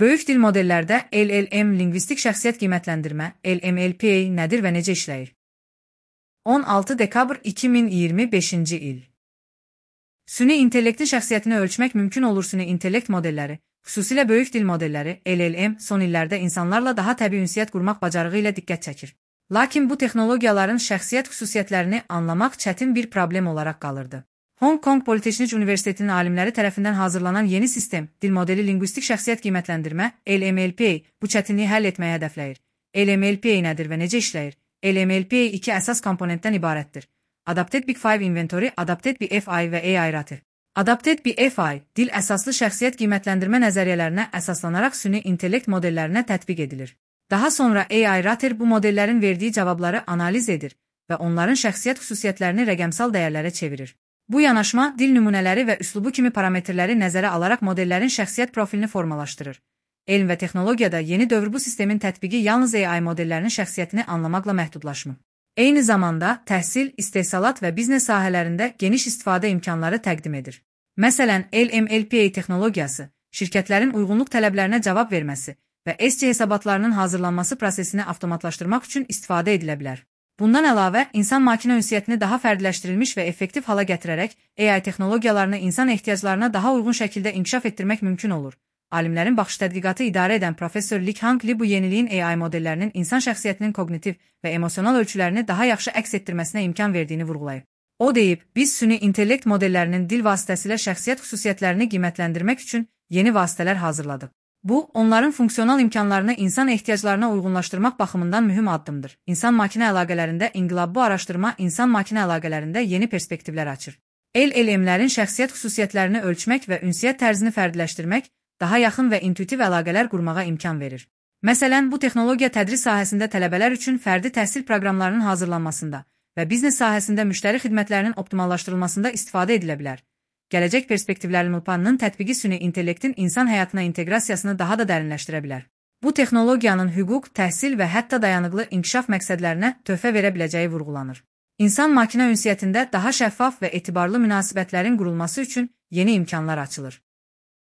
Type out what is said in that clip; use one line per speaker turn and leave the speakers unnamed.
Böyük dil modellərdə LLM, lingvistik şəxsiyyət qiymətləndirmə, LMLPA nədir və necə işləyir? 16 dekabr 2025-ci il. Süni intellektin şəxsiyyətini ölçmək mümkün olur. Süni intellekt modelləri, xüsusilə böyük dil modelləri, LLM, son illərdə insanlarla daha təbii ünsiyyət qurmaq bacarığı ilə diqqət çəkir. Lakin bu texnologiyaların şəxsiyyət xüsusiyyətlərini anlamaq çətin bir problem olaraq qalırdı. Hong Kong Politexnik Universitetinin alimləri tərəfindən hazırlanan yeni sistem, dil modeli lingvistik şəxsiyyət qiymətləndirmə, LMLPA, bu çətinliyi həll etməyə hədəfləyir. LMLPA nədir və necə işləyir? LMLPA iki əsas komponentdən ibarətdir. Adapted Big Five Inventory, Adapted BFI və AI Rater. Adapted BFI, dil əsaslı şəxsiyyət qiymətləndirmə nəzəriyyələrinə əsaslanaraq süni intellekt modellərinə tətbiq edilir. Daha sonra AI Rater bu modellərin verdiyi cavabları analiz edir və onların şəxsiyyət xüsusiyyətlərini rəqəmsal dəyərlərə çevirir. Bu yanaşma, dil nümunələri və üslubu kimi parametrləri nəzərə alaraq modellərin şəxsiyyət profilini formalaşdırır. Elm və texnologiyada yeni dövr bu sistemin tətbiqi yalnız AI modellərinin şəxsiyyətini anlamaqla məhdudlaşmır. Eyni zamanda təhsil, istehsalat və biznes sahələrində geniş istifadə imkanları təqdim edir. Məsələn, LMLPA texnologiyası, şirkətlərin uyğunluq tələblərinə cavab verməsi və SC hesabatlarının hazırlanması prosesini avtomatlaşdırmaq üçün istifadə edilə bilər. Bundan əlavə, insan-makina ünsiyyətini daha fərdiləşdirilmiş və effektiv hala gətirərək AI texnologiyalarını insan ehtiyaclarına daha uyğun şəkildə inkişaf etdirmək mümkün olur. Alimlərin baxış tədqiqatı idarə edən professor Lik Hang Li bu yeniliyin AI modellərinin insan şəxsiyyətinin kognitiv və emosional ölçülərini daha yaxşı əks etdirməsinə imkan verdiyini vurğulayıb. O deyib, biz süni intellekt modellərinin dil vasitəsilə şəxsiyyət xüsusiyyətlərini qiymətləndirmək üçün yeni vasitələr hazırladıq. Bu, onların funksional imkanlarını insan ehtiyaclarına uyğunlaşdırmaq baxımından mühüm addımdır. İnsan-makina əlaqələrində inqilab bu araşdırma insan-makina əlaqələrində yeni perspektivlər açır. LLM-lərin şəxsiyyət xüsusiyyətlərini ölçmək və ünsiyyət tərzini fərdiləşdirmək daha yaxın və intuitiv əlaqələr qurmağa imkan verir. Məsələn, bu texnologiya tədris sahəsində tələbələr üçün fərdi təhsil proqramlarının hazırlanmasında və biznes sahəsində müştəri xidmətlərinin optimallaşdırılmasında istifadə edilə bilər. Gələcək perspektivlərin MLPA-nın tətbiqi süni intellektin insan həyatına inteqrasiyasını daha da dərinləşdirə bilər. Bu texnologiyanın hüquq, təhsil və hətta dayanıqlı inkişaf məqsədlərinə töhfə verə biləcəyi vurğulanır. İnsan-makina ünsiyyətində daha şəffaf və etibarlı münasibətlərin qurulması üçün yeni imkanlar açılır.